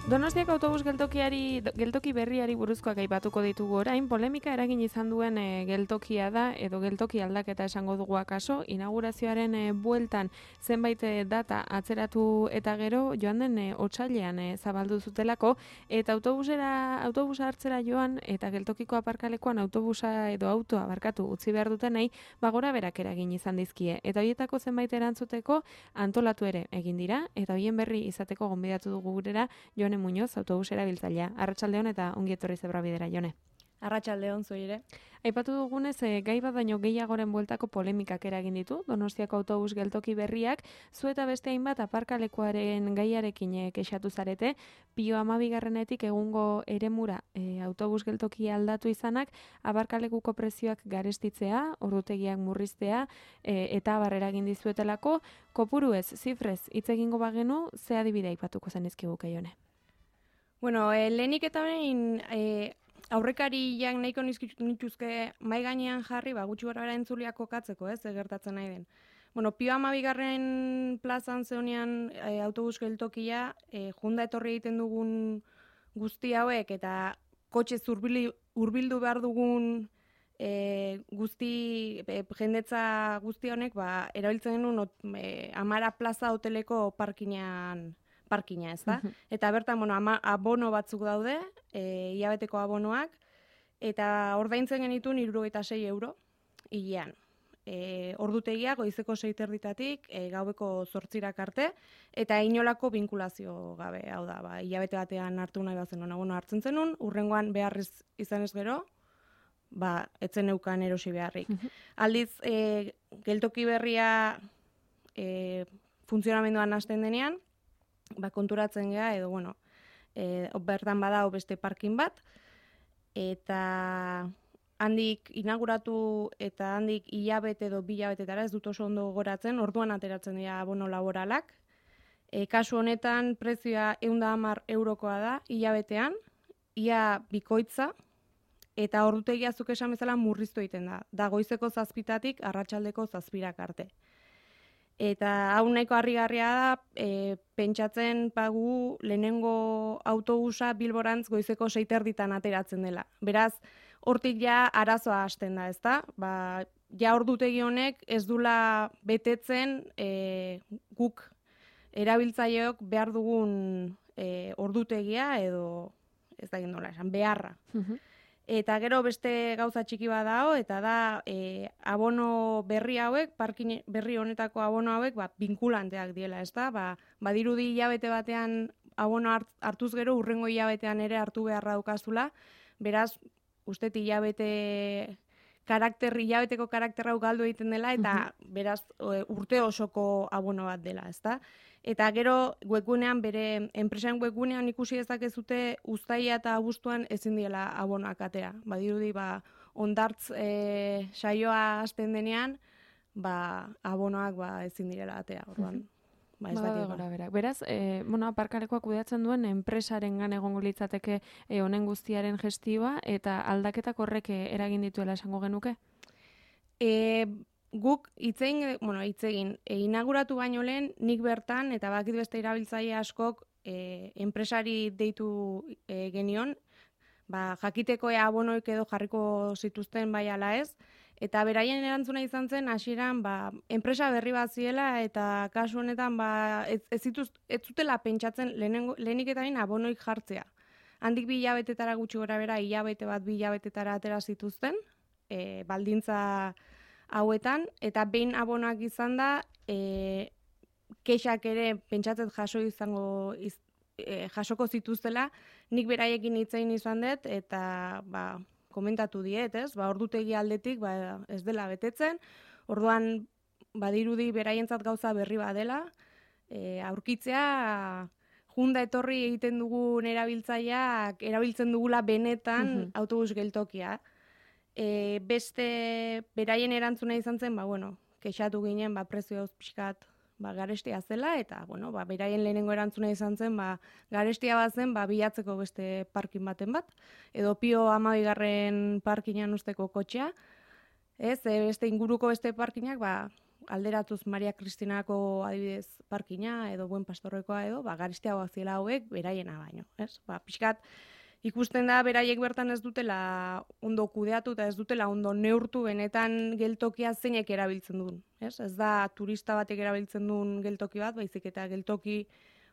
Donostiako autobus geltoki berriari buruzkoak aipatuko ditugu orain, polemika eragin izan duen geltokia da, edo geltoki aldaketa esango dugu akaso, inaugurazioaren bueltan zenbait data atzeratu eta gero joan den otsailean zabaldu zutelako, eta autobusa hartzera joan eta geltokiko aparkalekuan autobusa edo autoa utzi behar dutenei, gora berak eragin izan dizkie. Eta horietako zenbait erantzuteko antolatu ere egin dira, eta horien berri izateko gonbidatu dugu gurera Jone Muñoz, autobus erabiltzailea. Arratsaldeon eta ongi etorri Zebra Bidera, Jone. Arratsaldeon zuri ere. Aipatu dugunez, gai bat baino gehiagoren bueltako polemikak eragin ditu, Donostiako autobus geltoki berriak, zu eta beste hainbat aparkalekuaren gaiarekin kexatu zarete, Pio 12etik egungo eremura autobus geltoki aldatu izanak, aparkalekuko prezioak garestitzea, ordutegiak murriztea, eta abar eragin dizuetelako, kopuruez, zifrez, hitz egingo bagenu, ze adibide aipatuko zenizkiguke, Jone? Bueno, lehenik eta behin aurrekariak nahiko nituzke mai gainean jarri, gutxi gorabehera entzuleak kokatzeko, gertatzen nahi den. Bueno, Pio 12 plazan zehonean autobus geltokia, junda etorri egiten dugun guzti hauek eta kotxe hurbildu behar dugun jendetza guzti honek, erabiltzen genuen 10 plaza hoteleko parkina, ez da? Eta bertan, abono batzuk daude, hilabeteko abonoak, eta ordaintzen genituen 76 euro hilean. Ordutegia goizeko 6:30 gaueko 8 arte, eta inolako binkulazio gabe, hau da, hilabete batean hartu nahi bazen abono hartzen zenun, hurrengoan beharriz izanez gero, etzen neukan erosi beharrik. Aldiz, geltoki berria funtzionamenduan hasten denean, konturatzen gea, edo, bertan badao beste parkin bat, eta handik inauguratu eta handik hilabete edo 2 hilabetetara, ez dut oso ondo goratzen, orduan ateratzen dira abono laboralak. Kasu honetan, prezioa 110 eurokoa da, hilabetean, ia bikoitza, eta ordutegia zuk esan bezala murriztu egiten da. Da goizeko 7:00 arratsaldeko 7:00 arte. Eta hau nahiko harrigarria da, pentsatzen gu lehenengo autobusa Bilborantz goizeko 6:30 ateratzen dela. Beraz, hortik ja arazoa hasten da, ezta? Ja ordutegi honek ez dula betetzen guk erabiltzaileok behar dugun ordutegia edo ez da nola esan, beharra. Eta gero beste gauza txiki bat dago, eta da abono berri hauek, parkin berri honetako abono hauek, binkulanteak diela, ez da? Badirudi hilabete batean abono hartuz gero, hurrengo hilabetean ere hartu beharra daukazula, beraz, uste hilabeteko karakter hau galdu egiten dela, eta beraz, urte osoko abono bat dela, ez da? Eta gero, webgunean, bere enpresaren webgunean ikusi dezakezute uztaila eta abuztuan ezin diela abonoak atera. Badirudi, ondartz saioa hasten denean, abonoak ezin direla atera. Orduan, ez dakit. Beraz, aparkalekuak kudeatzen duen enpresarengan egongo litzateke honen guztiaren gestioa, eta aldaketak horrek eragin dituela esango genuke? Guk hitzegin, inauguratu baino lehen, nik bertan, eta bakit beste erabiltzaile askok enpresari deitu genion, jakiteko abonoik edo jarriko zituzten bai ala ez, eta beraien erantzuna izan zen, hasieran enpresa berri bat ziela, eta kasu honetan ez zutela pentsatzen lehenik eta bain abonoik jartzea. Handik 2 hilabetetara gutxi gora bera, hilabete bat 2 hilabetetara atera zituzten, baldintza hauetan, eta behin abonoak izan da, kexak ere pentsatzen jasoko zituztela, nik beraiekin hitzein izan dut, eta komentatu diet, ordutegi aldetik ez dela betetzen, orduan badirudi beraientzat gauza berri badela, aurkitzea junda etorri egiten dugun erabiltzaileak erabiltzen dugula benetan autobus geltokia. Beste beraien erantzuna izan zen, kexatu ginen, prezioz pixkat garestia zela, eta, beraien lehenengo erantzuna izan zen, garestia bat zen, bilatzeko beste parkin baten bat, edo Pio 12 parkinan usteko kotxea, beste inguruko beste parkinak, alderatuz Maria Kristinako adibidez parkina edo Buen Pastorrekoa edo, garisteagoak ziela hauek beraiena baino, ez? Pixkat, ikusten da beraiek bertan ez dutela ondo kudeatu eta ez dutela ondo neurtu benetan geltokia zeinek erabiltzen duen, ez? Ez da turista batek erabiltzen duen geltoki bat, baizik eta geltoki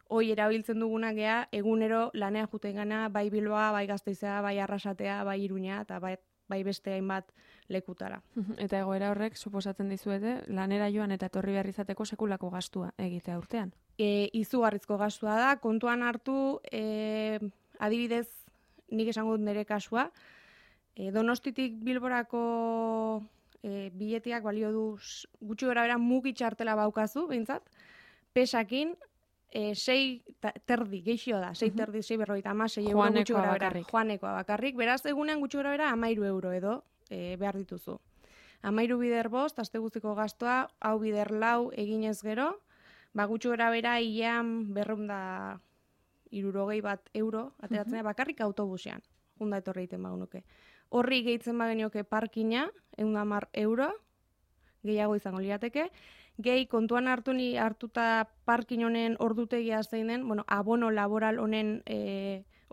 hoi erabiltzen duguna gea egunero lanean juten gana, bai Bilboa, bai Gasteizea, bai Arrasatea, bai Iruña eta bai beste hainbat lekutara. Eta egoera horrek suposatzen dizuete lanera joan eta etorri behar izateko sekulako gastua egitea urtean. Izugarrizko gastua da, kontuan hartu, adibidez, nik esango dut nire kasua, Donostitik Bilborako biletiak balio du gutxi gorabehera mugi txartela baukazu, behintzat, pesakin, 6 geixio da, 6,berrogeita euro gutxi gorabehera. Joanekoa bakarrik. Beraz, egunean gutxi gorabehera 13 euro edo behar dituzu. 13 bider bost, aste guztiko gastoa, hau bider 4 eginez gero, gutxi gorabehera hilean 260 euro ateratzen da bakarrik autobusean. Junda etorri egiten bagunuke. Horri gehitzen bagenioke parkina, 110 euro, gehiago izango lirateke. Gehi kontuan hartuta parkin honen ordutegia zein den, abono laboral honen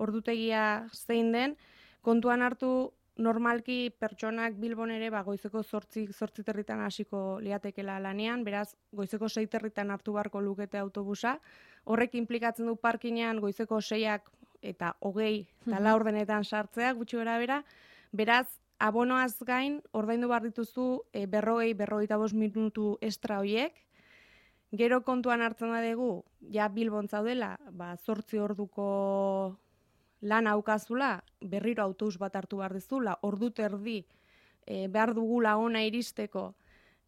ordutegia zein den, kontuan hartu normalki pertsonak Bilbon ere goizeko 8 territan hasiko liatekela lanean, beraz goizeko 6 territan hartu beharko lukete autobusa. Horrek inplikatzen du parkinean goizeko 6ak eta 20 eta 4 ordenetan sartzea gutxi gorabehera, beraz abonoaz gain, ordaindu behar dituzu 45 minutu estra hoiek. Gero kontuan hartzen badugu, ja Bilbon zaudela, 8 orduko lan aukazula, berriro autobus bat hartu behar dizula, ordu terdi behar dugula ona iristeko,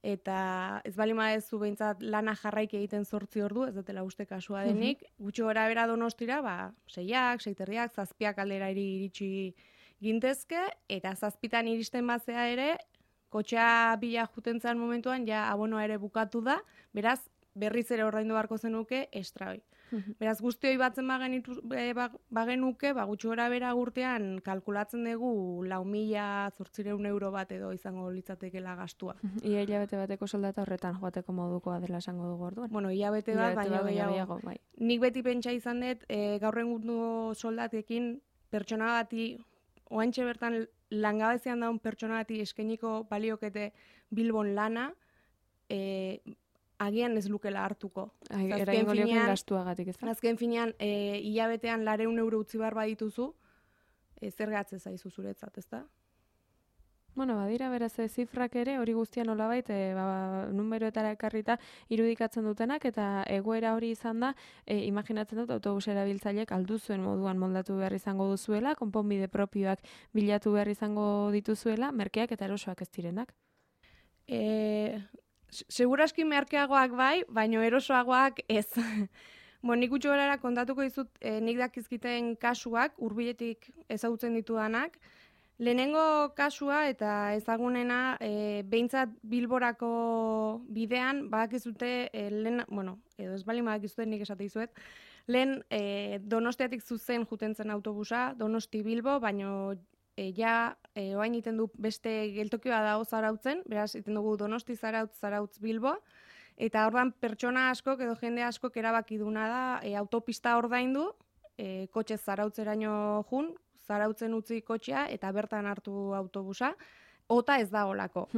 eta ez bali madezu behintzat lana jarraik egiten 8 ordu, ez dutela uste kasua denik, gutxi gorabehera Donostira, 6ak, 6:30, 7ak aldera iritsi gintezke, eta 7etan iristen bazea ere, kotxea bila jutentzan momentuan, ja abonoa ere bukatu da, beraz, berriz ere ordaindu beharko zenuke estra hoi. Beraz, guzti hoi batzen bagenuke, gutxi gorabehera urtean kalkulatzen dugu 4.800 euro bat edo izango litzatekela gastua. Ia hilabete bateko soldata horretan joateko modukoa dela esango dugu orduan. Hilabete bat, baina gehiago. Nik beti pentsa izan dut, gaur egungo soldatekin pertsona bati oantxe bertan langabezian daun pertsona bati eskainiko baliokete Bilbon lana, agian ez lukela hartuko. Eraingo lioken gastuagatik, ez da? Azken finean, hilabetean 400 euro utzi behar badituzu, zer gatze zaizu zuretzat, ez da? Badira, beraz, zifrak ere, hori guztian nolabait, numeroetara ekarrita irudikatzen dutenak, eta egoera hori izan da, imaginatzen dut autobus erabiltzaileek aldu zuen moduan moldatu behar izango duzuela, konponbide propioak bilatu behar izango dituzuela, merkeak eta erosoak ez direnak? Seguraski merkeagoak bai, baino erosoagoak ez. Nik gutxi gorara kontatuko dizut nik dakizkiten kasuak, hurbiletik ezagutzen ditudanak. Lehenengo kasua eta ezagunena behintzat Bilborako bidean badakizute edo ez bali badakizute nik esate dizuet, lehen Donostiatik zuzen jutentzen autobusa, Donosti Bilbo, baino oain iten du beste geltokioa dago Zarautzen, beraz iten dugu Donosti Zarautz Bilbo, eta ordan pertsona askok edo jende askok erabaki duna da autopista ordaindu, kotxe Zarautzeraino jun, Zarautzen utzi kotxea eta bertan hartu autobusa, ota ez da olako.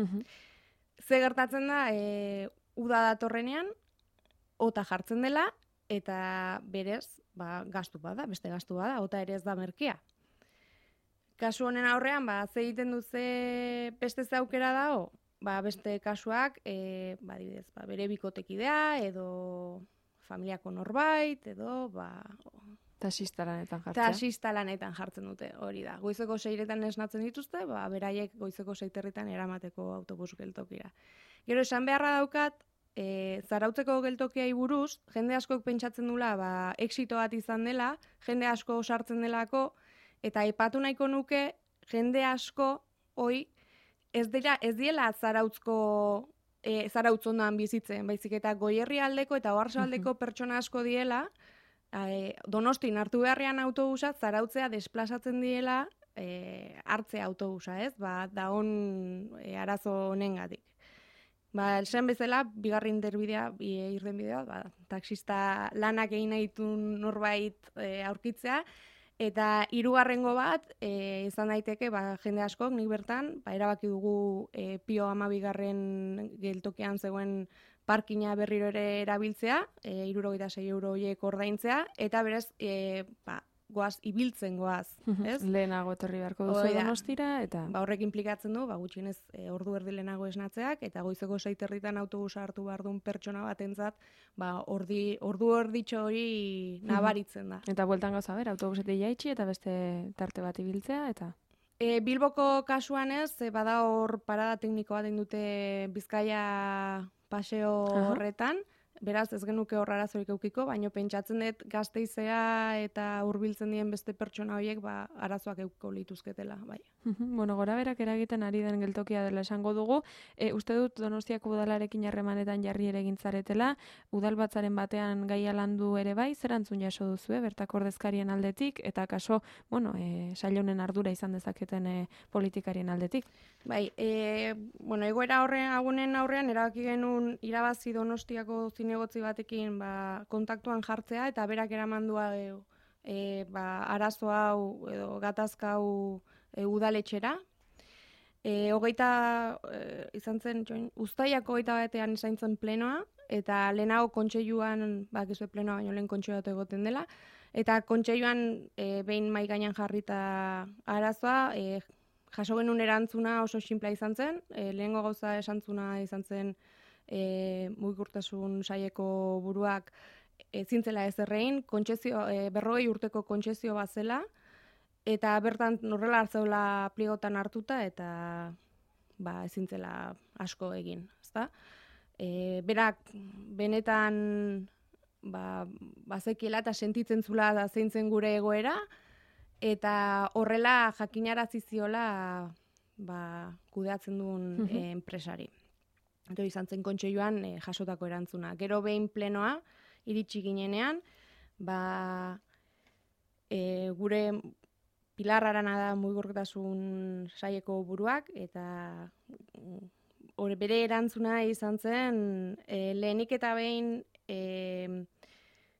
Ze gertatzen da, uda datorrenean, ota jartzen dela, eta berez, gastu bada, beste gastu bada, ota ere ez da merkea. Kasu honen aurrean, ze egiten duze beste aukera dago, beste kasuak, adibidez, bere bikotekidea, edo familiako norbait, edo, Taxista lanetan jartzen. Taxista lanetan jartzen dute, hori da. Goizeko 6etan esnatzen dituzte, beraiek goizeko 6 eramateko autobus geltokira. Gero esan beharra daukat, Zarautzeko geltokiai buruz, jende askok pentsatzen dula, exito bat izan dela, jende asko sartzen delako, eta aipatu nahiko nuke, jende asko, ez diela Zarautz ondoan bizitzen, baizik eta Goierri aldeko eta Oarsoaldeko pertsona asko diela, Donostin hartu beharrean autobusa, Zarautzea desplazatzen diela hartzea autobusa, ez? Da arazo honengatik. Esan bezala, bigarren irtenbidea, taxista lanak egin nahi ditun norbait aurkitzea, eta hirugarrengo bat, izan daiteke, jende askok, nik bertan, erabaki dugu Pio 12 geltokian zegoen parkina berriro ere erabiltzea, 76 euro horiek ordaintzea, eta berez, goaz, ibiltzen goaz, ez? Lehenago etorri beharko duzu Donostira, eta... Horrek implikatzen du, gutxienez ordu erdi lehenago esnatzeak, eta goizeko 6 autobusa hartu behar duen pertsona batentzat, ordu erditxo hori nabaritzen da. Eta bueltan gauza ber, autobusetik jaitsi, eta beste tarte bat ibiltzea, eta... Bilboko kasuan ez, bada hor parada tekniko bat dute Bizkaia paseo horretan, beraz ez genuke hor arazorik eukiko, baina pentsatzen dut Gasteizea eta hurbiltzen dien beste pertsona horiek arazoak euko lituzketela. Bai. Bueno, gora berak eragiten ari den geltokia dela esango dugu. Uste dut Donostiako udalarekin harremanetan jarri ere gintzaretela, udalbatzaren batean gaia landu ere bai, zer antzun jaso duzu, bertako ordezkarien aldetik, eta kaso, sail honen ardura izan dezaketen politikarien aldetik. Bai, egoera agunen aurrean erabaki genuen irabazi Donostiako zinegotzi batekin kontaktuan jartzea, eta berak eramandua arazo hau edo gatazka hau udaletxera. Izan zen, uztailako 21 izan zen plenoa, eta lehenago kontseiluan, gizue plenoa baino lehen kontseilua egoten dela, eta kontseiluan behin mahai gainean jarrita arazoa, jaso genuen erantzuna oso sinplea izan zen, lehengo gauza esantzuna izan zen mugikortasun saileko buruak zintzela ez errein, 40 urteko kontsezio bat zela, eta bertan horrela hartzeula pliegotan hartuta, eta ezintzela asko egin. Berak benetan bazekiela eta sentitzen zula da zeintzen gure egoera, eta horrela jakinarazi ziola kudeatzen duen enpresari. Eta izan zen kontseiluan jasotako erantzuna. Gero behin plenoa, iritsi ginenean, gure Pilar Arana da mugikortasun saileko buruak, eta bere erantzuna izan zen, lehenik eta behin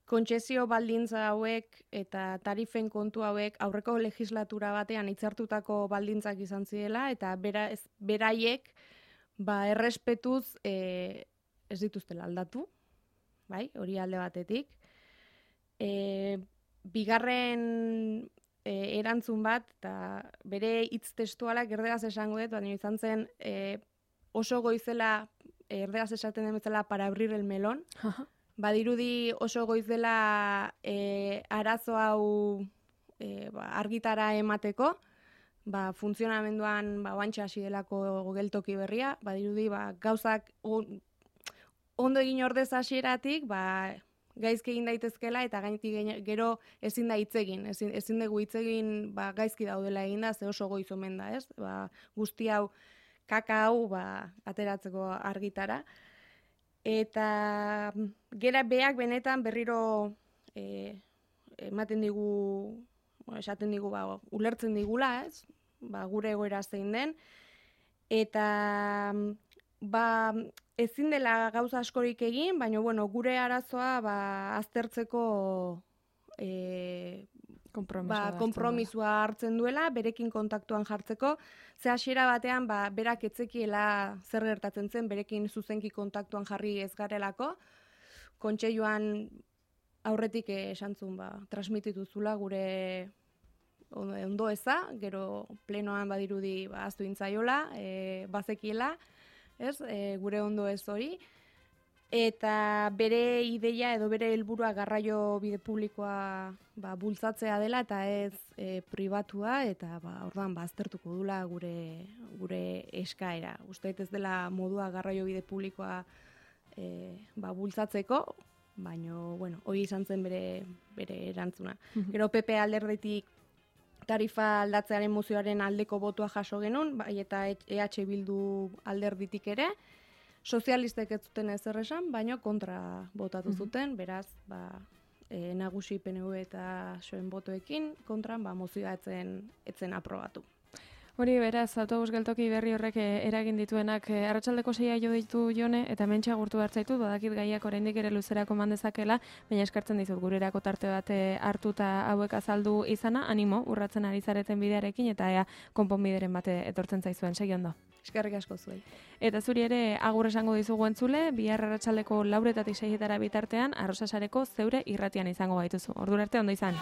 kontsezio baldintza hauek eta tarifen kontu hauek aurreko legislatura batean hitzartutako baldintzak izan zirela, eta beraiek errespetuz ez dituztela aldatu, hori alde batetik. Bigarren erantzun bat, eta bere hitz testualak erderaz esango dut, baina izan zen oso goizela, erderaz esaten den bezala, para abrir el melón. Badirudi oso goizela arazo hau argitara emateko, funtzionamenduan oantxe hasi delako geltoki berria, badirudi gauzak ondo egin ordez hasieratik, gaizki egin daitezkela, eta gero ezin da hitz egin, ezin dugu hitz egin gaizki daudela eginda, ze oso goiz omen da, ez? Guzti hau, kaka hau ateratzeko argitara. Eta gera beak benetan berriro ematen digu, esaten digu, ulertzen digula, ez? Gure egoera zein den. Eta ezin dela gauza askorik egin, baina gure arazoa aztertzeko konpromisua hartzen duela, berekin kontaktuan jartzeko. Ze hasiera batean berak etzekiela zer gertatzen zen, berekin zuzenki kontaktuan jarri ez garelako. Kontseiluan aurretik esantzun transmititu zula gure ondo eza, gero plenoan badirudi ahaztu intzaiola, bazekiela, gure ondo ez hori. Eta bere ideia edo bere helburua garraio bide publikoa bultzatzea dela eta ez pribatua, eta orduan aztertuko dula gure eskaera. Uste ez dela modua garraio bide publikoa bultzatzeko, baina hori izan zen bere erantzuna. Gero PP alderditik tarifa aldatzearen mozioaren aldeko botua jaso genuen, eta EH Bildu alderditik ere. Sozialistek ez zuten ezer esan, baina kontra botatu zuten, beraz, nagusi PNV eta soen botoekin kontran mozioa etzen aprobatu. Hori beraz, autobus geltoki berri horrek eragin dituenak arratsaldeko 6 jo ditu Jone, eta hementxe agurtu hartzaitu, badakit gaiak oraindik ere luzerako mandezakela, baina eskartzen dizut gurerako tarte bat hartuta hauek azaldu izana, animo, urratzen ari zareten bidearekin, eta ea konponbideren bate etortzen zaizuen, segi ondo. Eskerrik asko zuei. Eta zuri ere agur esango dizugu entzule, bihar arratsaldeko 4:00 eta 6:00 bitartean Arrosasareko zeure irratian izango gaituzu. Ordura arte ondo izan.